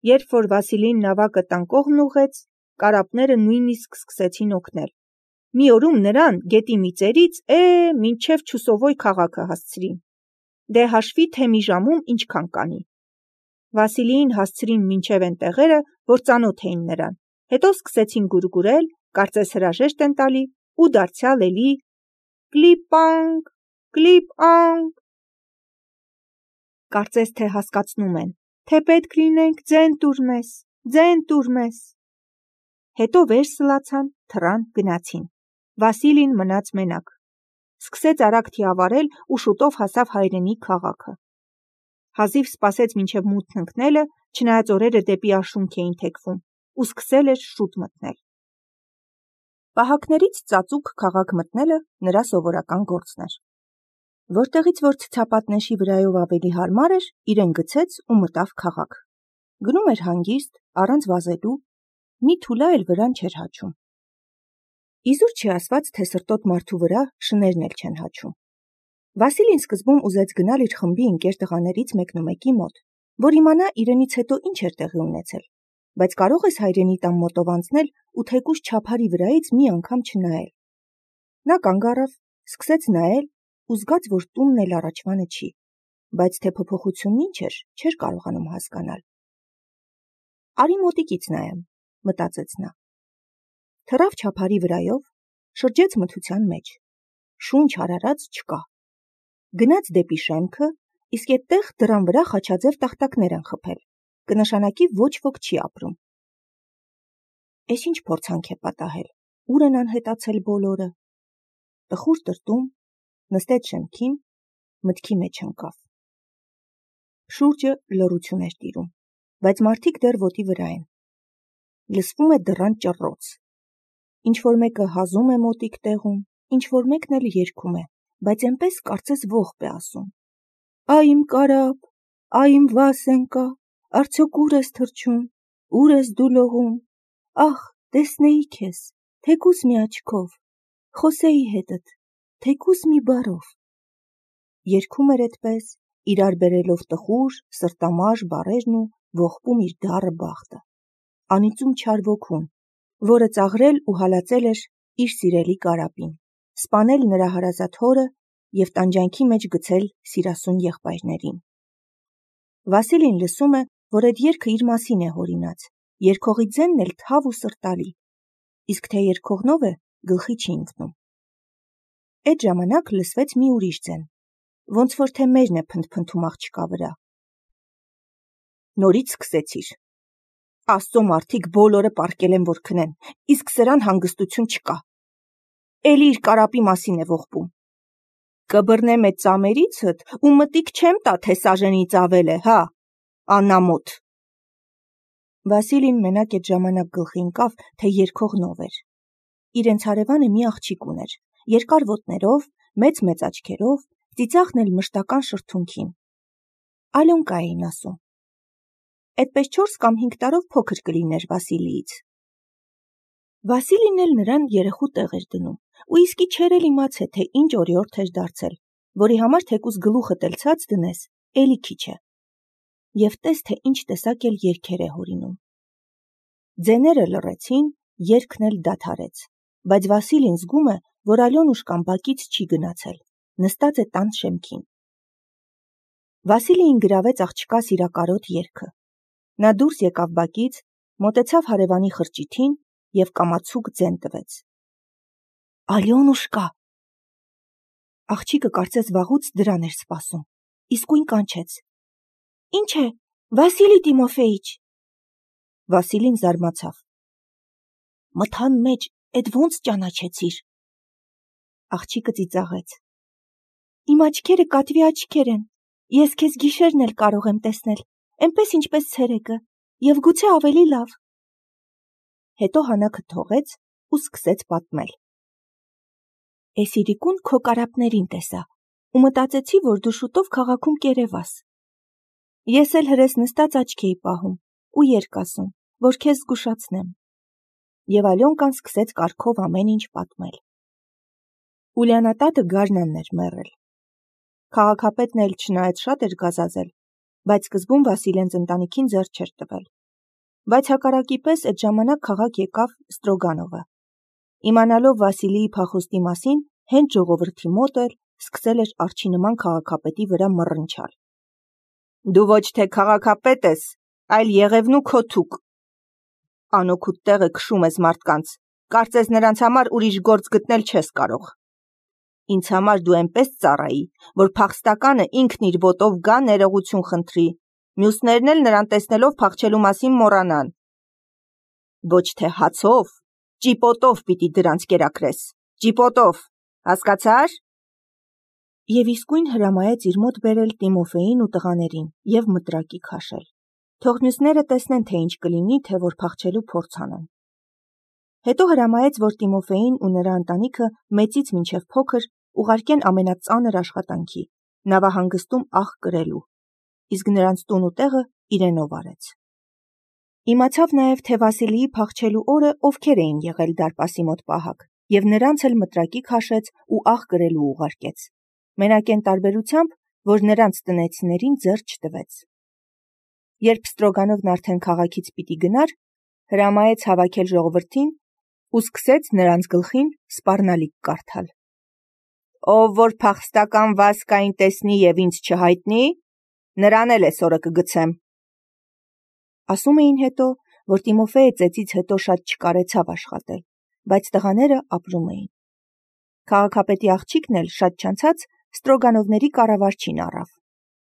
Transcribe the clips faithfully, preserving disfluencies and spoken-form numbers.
Երբ որ Վասիլին նավակը տան կողմն ուղղեց, կարապները նույնիսկ սկսեցին օգնել։ Մի օրում նրան գետի մի ծերից է մինչև Չուսովոյ քաղաքը հասցրին։ Դե հաշվի, թե մի ժամում ինչքան կանի։ Վասիլիին հասցրին մինչև են տեղերը, որ ծանոթ էին նրան, հետո սկսեցին գուրգուրել, կարծես հրաժեշտ են տալի, ու դարձյալ էլի կլիպ-անք, կլիպ-անք։ Կարծես թե հասկացնում են, թե պետք լինենք ձեն տուր մեզ, ձեն տուր մեզ։ Հետո վեր սլացան, թռան, գնացին։ Վասիլին մնաց մենակ։ Սկսեց արագ թիավարել ու շուտով հասավ հայրենի քաղաքը։ Հազիվ սպասեց մինչև մութն ընկնելը, չնայած օրերը դեպի արշունք էին թեքվում, ու սկսել էր շուտ մթնել։ Պահակներից ծածուկ քաղաք մտնելը նրա սովորական գործն էր։ Որտեղից որ ցցապատնեշի վրայով ավելի հարմար էր, իրեն գցեց ու մտավ քաղաք։ Գնում էր հանգիստ, առանց վազելու, մի թուլա էլ վրան չէր հաչում։ Իզուր չի ասված, թե սրտոտ մարդու վրա շներն էլ չեն հաչում։ Վասիլին սկզբում ուզեց գնալ իր խմբի ընկեր տղաներից մեկնումեկի մոտ, որ իմանա իրենից հետո ինչ էր տեղի ունեցել, բայց կարող ես հայրենի տան մոտով անցնել ու թեկուզ չափարի վրայից մի անգամ չնայել։ Նա կանգ առավ, սկսեց նայել ու զգաց, որ տունն էլ առաջվանը չի, բայց թե փոփոխությունն ինչ էր, չէր կարողանում հասկանալ։ Արի մոտիկից նայեմ, մտածեց նա։ Թռավ չափարի վրայով, շրջեց մթության մեջ, շունչ հարարած չկա։ Գնաց դեպի շեմքը, իսկ այդտեղ դռան վրա խաչաձև տախտակներ են խփել, կնշանակի ոչ ոք չի ապրում։ Էս ինչ փորձանք է պատահել, ուր են անհետացել բոլորը։ Տխուր տրտում, նստեց շեմքին, մտքի մեջ ընկավ։ Շուրջը լռություն էր տիրում, բայց մարդիկ դեռ ոտի վրա են։ Լսվում է դռան ճռռոց։ Ինչ-որ մեկը հազում է մոտիկ տեղում, ինչ-որ մեկն էլ երգում է, բայց այնպես կարծես ողբ է ասում. «Այ իմ կարապ, այ իմ Վասենկա, արդյոք ուր ես թռչում, ուր ես դու լողում, ախ, տեսնեի քեզ, թեկուզ մի աչքով, խոսեի հետդ, թեկուզ մի բառով»։ Երգում էր այդպես, իրար բերելով տխուր, սրտամարժ բառերն ու ողբում իր դառը բախտը, անիծում չար ոգուն, որը ծաղրել ու հալածել էր իր սիրելի կարապին, սպանել նրա հարազատ հորը և տանջանքի մեջ գցել սիրասուն եղբայրներին։ Վասիլին լսում է, որ այդ երգը իր մասին է հորինած, երգողի ձենն էլ թավ ու սրտալի, իսկ թե երգողնով է, գլխի չի ընկնում։ Այդ ժամանակ լսվեց մի ուրիշ ձեն, ոնց որ թե մերն է փնթփնթում աղջկա վրա։ Նորից սկսեցիր։ Աստծո մարդիկ բոլորը պառկել են, որ քնեն, իսկ սրան հանգստություն չկա։ Էլի իր կարապի մասին է ողբում։ Կբռնեմ այդ ծամերիցդ ու մտիկ չեմ տա, թե սաժենից ավել է, հա, անամոթ։ Վասիլին մենակ այդ ժամանակ գլխի ընկավ, թե երգողնով էր։ Իրենց հարևանը մի աղջիկ ուներ, երկար ոտներով, մեծ-մեծ աչքերով, ծիծաղն էլ մշտական շրթունքին։ Ալյոնկա էին ասում։ Այդպես չորս կամ հինգ տարով փոքր կլիներ Վասիլիից։ Վասիլին էլ նրան երեխու տեղ էր դնում, ու իսկի չէր էլ իմացել, թե ինչ օրիորդ էր դարձել, որի համար թեկուզ գլուխդ էլ ցած դնես, էլի քիչ է։ Եվ տես, թե ինչ տեսակ էլ երգեր է հորինում։ Ձեները լռեցին, երգն էլ դադարեց, բայց Վասիլին զգում է, որ Ալյոնուշկան բակից չի գնացել, նստած է տան շեմքին։ Վասիլիին գրավեց աղջկա սիրակարոտ երգը։ Նա դուրս եկավ բակից, մոտեցավ հարևանի խրճիթին և կամացուկ ձեն տվեց։ Ալյոնուշկա։ Աղջիկը կարծես վաղուց դրան էր սպասում, իսկույն կանչեց. Ինչ է, Վասիլի Տիմոֆեիչ։ Վասիլին զարմացավ։ Մթան մեջ էդ ոնց ճանաչեցիր։ Աղջիկը ծիծաղեց. Իմ աչքերը կատվի աչքեր են, ես քեզ գիշերն էլ կարող եմ տեսնել, այնպես ինչպես ցերեկը, և գուցե ավելի լավ։ Հետո հանակը թողեց ու սկսեց պատմել։ Էս իրիկուն քո կարապներին տեսա ու մտածեցի, որ դու շուտով քաղաքում կերևաս։ Ես էլ հրես նստած աչք էի պահում ու երգ ասում, որ քեզ զգուշացնեմ։ Եվ Ալյոնկան սկսեց կարգով ամեն ինչ պատմել։ Ուլիանատատը գարնանն էր մեռել։ Քաղաքապետն էլ չնայած շատ էր գազազել, բայց սկզբում Վասիլենց ընտանիքին ձեռ չէր տվել, Բայց հակառակի պես այդ ժամանակ քաղաք եկավ Ստրոգանովը։ Իմանալով Վասիլիի փախուստի մասին, հենց ժողովրդի մոտ էր սկսել էր արջի նման քաղաքապետի վրա մռնչալ։ Դու ոչ թե քաղաքապետ ես, այլ Եղևնու քո թուկ։ Անօգուտ տեղը քշում ես մարդկանց, կարծես նրանց համար ուրիշ գործ գտնել չես կարող։ Ինձ համար դու այնպես ծառայի, որ փախստականը ինքն իր ոտով գա ներողություն խնդրի, մյուսներն էլ նրան տեսնելով փախչելու մասին մոռանան։ Ոչ թե հացով, ճիպոտով պիտի դրանց կերակրես, ճիպոտով, հասկացա՞ր։ Եվ իսկույն հրամայեց իր մոտ բերել Տիմոֆեին ու տղաներին և մտրակի քաշել։ Թող մյուսները տեսնեն, թե ինչ կլինի, թե որ փախչելու փորձ անեն։ Հետո հրամայեց, որ Տիմոֆեին ու նրա ընտանիքը մեծից մինչև փոքր ուղարկեն ամենածանր աշխատանքի, նավահանգստում աղ կրելու, իսկ նրանց տուն ու տեղը իրենով արեց։ Իմացավ նաև, թե Վասիլիի փախչելու օրը ովքեր էին եղել դարպասի մոտ պահակ, և նրանց էլ մտրակի քաշեց ու աղ կրելու ուղարկեց, մենակ այն տարբերությամբ, որ նրանց տնեցիներին ձեռ չտվեց։ Երբ Ստրոգանովն արդեն քաղաքից պիտի գնար, հրամայեց հավաքել ժողովրդին ու սկսեց նրանց գլխին սպառնալիք կարդալ։ Ով որ փախստական Վասկային տեսնի և ինձ չհայտնի, նրան էլ էսօրը կգցեմ։ Ասում էին հետո, որ Տիմոֆեյը ծեծից հետո շատ չկարեցավ աշխատել, բայց տղաները ապրում էին։ Քաղաքապետի աղջիկն էլ շատ չանցած Ստրոգանովների կառավարչին առավ։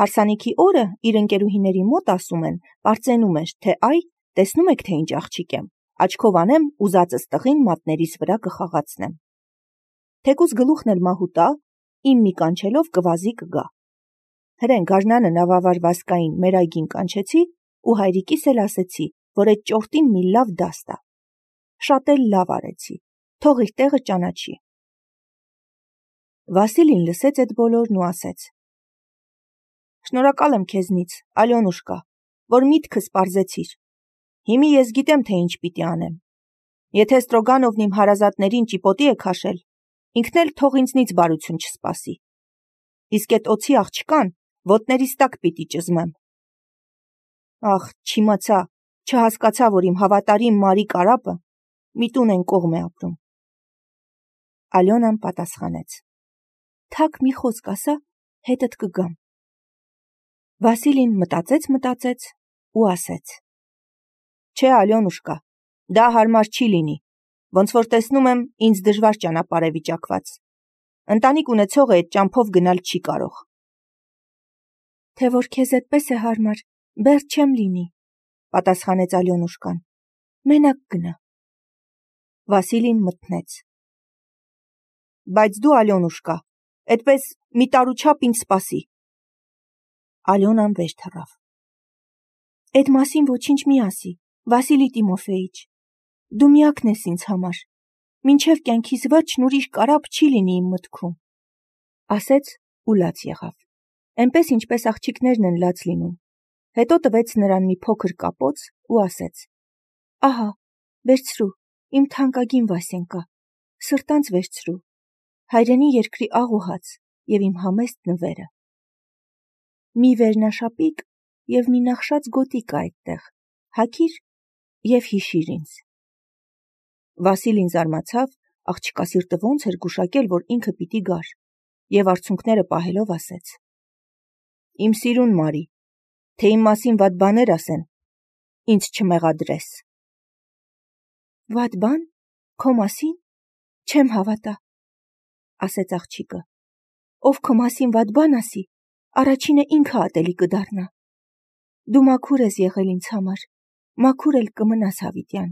Հարսանիքի օրը իր ընկերուհիների մոտ ասում են, պարծենում էր, թե այ, տեսնում եք, թե ինչ աղջիկ եմ, աչքով անեմ, ուզածս տղին մատներիս վրա կխաղացնեմ։ Թեկուզ գլուխն էլ մահու տա, իմ մի կանչելով կվազի կգա։ Հրեն գարնանը նավավար Վասկային մեր այգին կանչեցի ու հայրիկիս էլ ասեցի, որ այդ ճորտին մի լավ դաս տա։ Շատ էլ լավ արեցի, թող իր տեղը ճանաչի։ Վասիլին լսեց այդ բոլորն ու ասեց. Շնորհակալ եմ քեզնից, Ալյոնուշկա, որ միտքս պարզեցիր։ Հիմի ես գիտեմ, թե ինչ պիտի անեմ։ Եթե Ստրոգանովն իմ հարազատներին ճիպոտի է քաշել, ինքն էլ թող ինձնից բարություն չսպասի։ Իսկ այդ օձի աղջկան ոտներիս տակ պիտի ճզմեմ։ Ախ, չիմացա, չհասկացա, որ իմ հավատարիմ Մարի կարապը մի տուն են կողմ է ապրում։ Ալյոնան պատասխանեց. Թակ մի խոսք ասա, հետդ կգամ։ Վասիլին մտածեց, մտածեց ու ասեց. Չէ, Ալյոնուշկա, դա հարմար չի լինի, ոնց որ տեսնում եմ, ինձ դժվար ճանապարհ է վիճակված։ Ընտանիք ունեցողը այդ ճամփով գնալ չի կարող։ Թե որ քեզ այդպես է հարմար, բեռ չեմ լինի, պատասխանեց Ալյոնուշկան։ Մենակ գնա։ Վասիլին մթնեց։ Բայց դու, Ալյոնուշկա, այդպես մի տարուչափ ինձ սպասի։ Ալյոնան վեր թռավ։ Այդ մասին ոչինչ մի ասի, Վասիլի Տիմոֆեիչ, դու միակն ես ինձ համար, մինչև կյանքիս վերջն ուրիշ կարապ չի լինի իմ մտքում, ասեց ու լաց եղավ, այնպես ինչպես աղջիկներն են լաց լինում, հետո տվեց նրան մի փոքր կապոց ու ասեց. Ահա, վերցրու, իմ թանկագին Վասենկա, սրտանց վերցրու, հայրենի երկրի աղ ու հաց և իմ համեստ նվերը։ Մի վերնաշապիկ և մի նախշած գոտի կա այդտեղ, հագիր և հիշիր ինձ։ Վասիլին զարմացավ, աղջկա սիրտը ոնց էր գուշակել, որ ինքը պիտի գար, և արցունքները պահելով ասեց. Իմ սիրուն Մարի, թե իմ մասին վատ բաներ ասեն, ինձ չմեղադրես։ Վատ բան, քո մասին, չեմ հավատա, ասեց աղջիկը, ով քո մասին վատ բան ասի, առաջինը ինքը ատելի կդառնա։ Դու մաքուր ես եղել ինձ համար, մաքուր էլ կմնաս հավիտյան։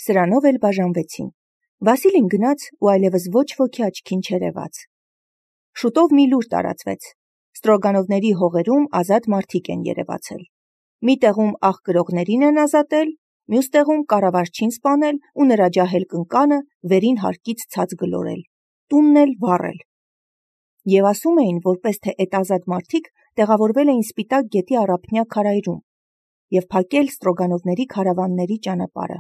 Սրանով էլ բաժանվեցին։ Վասիլին գնաց ու այլևս ոչ ոքի աչքին չերևաց։ Շուտով մի լուր տարածվեց։ Ստրոգանովների հողերում ազատ մարդիկ են երևացել։ Մի տեղում աղ կրողներին են ազատել, մյուս տեղում կառավարչին սպանել ու նրա ջահել կնկանը վերին հարկից ցած գլորել, տունն էլ վառել։ Եվ ասում էին, որպես թե այդ ազատ մարդիկ տեղավորվել էին Սպիտակ գետի առափնյա քարայրում և փակել Ստրոգանովների քարավանների ճանապարհը։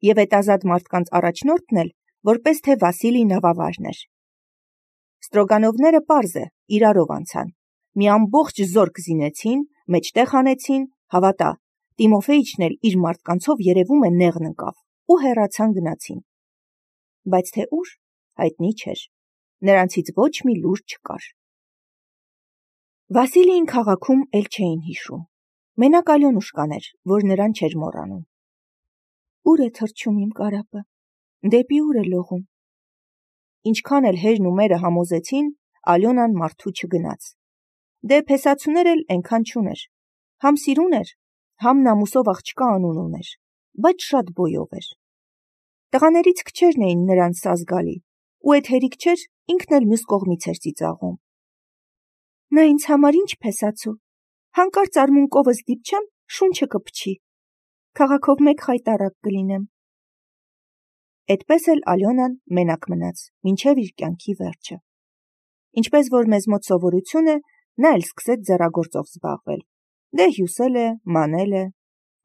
Եվ այդ ազատ մարդկանց առաջնորդն էլ որպես թե Վասիլի նավավարն էր։ Ստրոգանովները պարզ է, իրարով անցան, մի ամբողջ զորք զինեցին, մեջտեղ հանեցին Հավատա, Տիմոֆեիչն էլ իր մարդկանցով երևում է նեղն ընկավ ու հեռացան գնացին։ Բայց թե ուր, հայտնի չէր, նրանցից ոչ մի լուր չկար։ Վասիլիին քաղաքում էլ չէին հիշում, մենակ Ալյոնուշկան էր, որ նրան չէր մոռանում։ Ուր է թռչում իմ կարապը, դեպի ուր է լողում։ Ինչքան էլ հերն ու մերը համոզեցին, Ալյոնան մարդու չգնաց։ Դե փեսացուներ էլ այնքան չուներ, համ սիրուն էր, համ նամուսով աղջկա անուն ուներ, բայց շատ բոյով էր։ Տղաներից քչերն էին նրան սազ գալի, ու էդ հերիք չէր, ինքն էլ մյուս կողմից էր ծիծաղում։ Նա ինձ համար ինչ փեսացու, հանկարծ արմունկովս դիպչեմ, շունչը կփչի, քաղաքով մեկ խայտառակ կլինեմ։ Էդպես էլ Ալյոնան մենակ մնաց, մինչև իր կյանքի վերջը։ Ինչպես որ մեզ մոտ սովորություն է, նա էլ սկսեց ձեռագործով զբաղվել։ Դե հյուսել է, մանել է։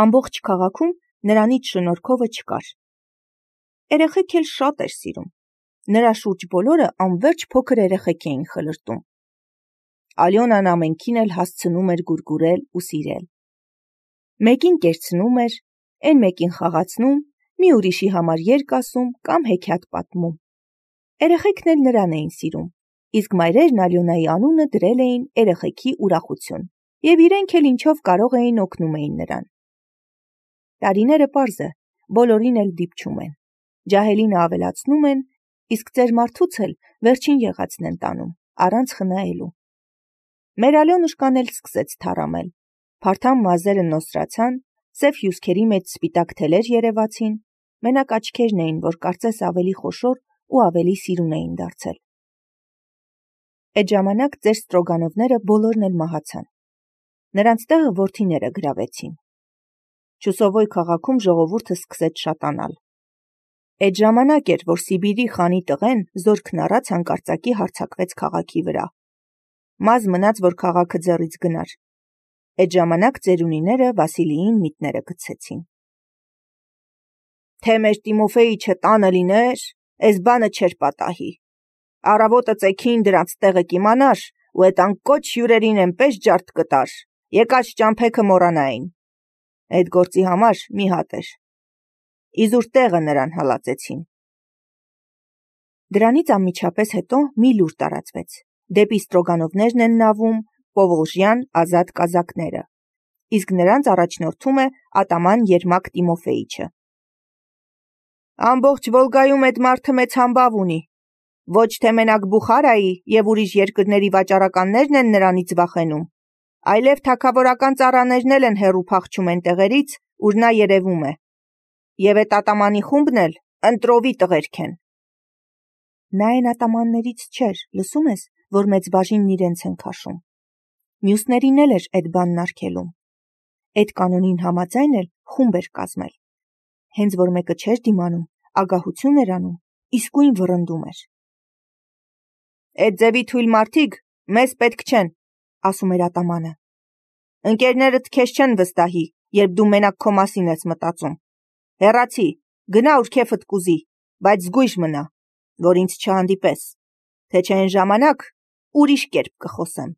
Ամբողջ քաղաքում նրանից շնորհքովը չկար։ Երեխեք էլ շատ էր սիրում։ Նրա շուրջ բոլորը անվերջ փոքր երեխեք էին խլրտում։ Ալյոնան ամենքին էլ հասցնում էր գուրգուրել ու սիրել։ Մեկին կերցնում էր, այն մեկին խաղացնում, մի ուրիշի համար երգ ասում կամ հեքիաթ պատմում։ Երեխեքն էլ նրան էին սիրում, իսկ մայրերն Ալյոնայի անունը դրել էին երեխեքի ուրախություն, եւ իրենք էլ ինչով կարող էին օգնում էին նրան։ Տարիները պարզ է, բոլորին էլ դիպչում են, ջահելինը ավելացնում են, իսկ ծեր մարդուց էլ վերջին եղածն են տանում, առանց խնայելու։ Մեր Ալյոնուշկան էլ սկսեց թառամել, փարթամ մազերը նոսրացան, սև հյուսքերի մեջ սպիտակ թելեր երևացին, մենակ աչքերն էին, որ կարծես ավելի խոշոր ու ավելի սիրուն էին դարձել։ Այդ ժամանակ ծեր Ստրոգանովները բոլորն էլ մահացան։ Նրանց տեղը որդիները գրավեցին։ Չուսովոյ քաղաքում ժողովուրդը սկսեց շատանալ։ Այդ ժամանակ էր, որ Սիբիրի խանի տղեն զորքն առած հանկարծակի հարձակվեց քաղաքի վրա։ Մազ մնաց, որ քաղաքը ձեռից գնար։ Այդ ժամանակ ծերունիները Վասիլիին միտները գցեցին։ Թե մեր Տիմոֆեիչը տանը լիներ, այս բանը չէր պատահի։ Առավոտը ծեքին դրանց տեղը կիմանար, ու այդ անկոչ հյուրերին այնպես ջարդ կտար, եկած ճամփեքը մոռանային։ Այդ գործի համար մի հատ էր։ Իզուր տեղը նրան հալածեցին։ Դրանից անմիջապես հետո մի լուր տարածվեց։ Դեպի Ստրոգանովներն են նավում Պովոլժյան ազատ կազակները, իսկ նրանց առաջնորդում է ատաման Երմակ Տիմոֆեիչը։ Ամբողջ Վոլգայում այդ մարդը մեծ համբավ ունի։ Ոչ թե մենակ Բուխարայի եւ ուրիշ երկրների վաճառականներն են նրանից վախենում, այլև թագավորական ծառաներն էլ են հեռու փախչում այն տեղերից, ուր նա երևում է։ Եվ այդ ատամանի խումբն էլ ընտրովի տղերք են։ Նա այն ատամաններից չէր, լսում ես, որ մեծ բաժինն իրենց են քաշում։ Մյուսներին էլ էր այդ բանն արգելում։ Այդ կանոնին համաձայն էլ խումբ էր կազմել։ Հենց որ մեկը չէր դիմանում, ագահություն էր անում, իսկույն վռնդում էր։ Այդ ձևի թույլ մարդիկ մեզ պետք չեն, ասում էր ատամանը։ Ընկերներդ քեզ չեն վստահի, երբ դու մենակ քո մասին ես մտածում։ Հեռացի, գնա ուր քեֆդ կուզի, բայց զգույշ մնա, որ ինձ չհանդիպես, թե չէ այն ժամանակ ուրիշ կերպ կխոսեմ։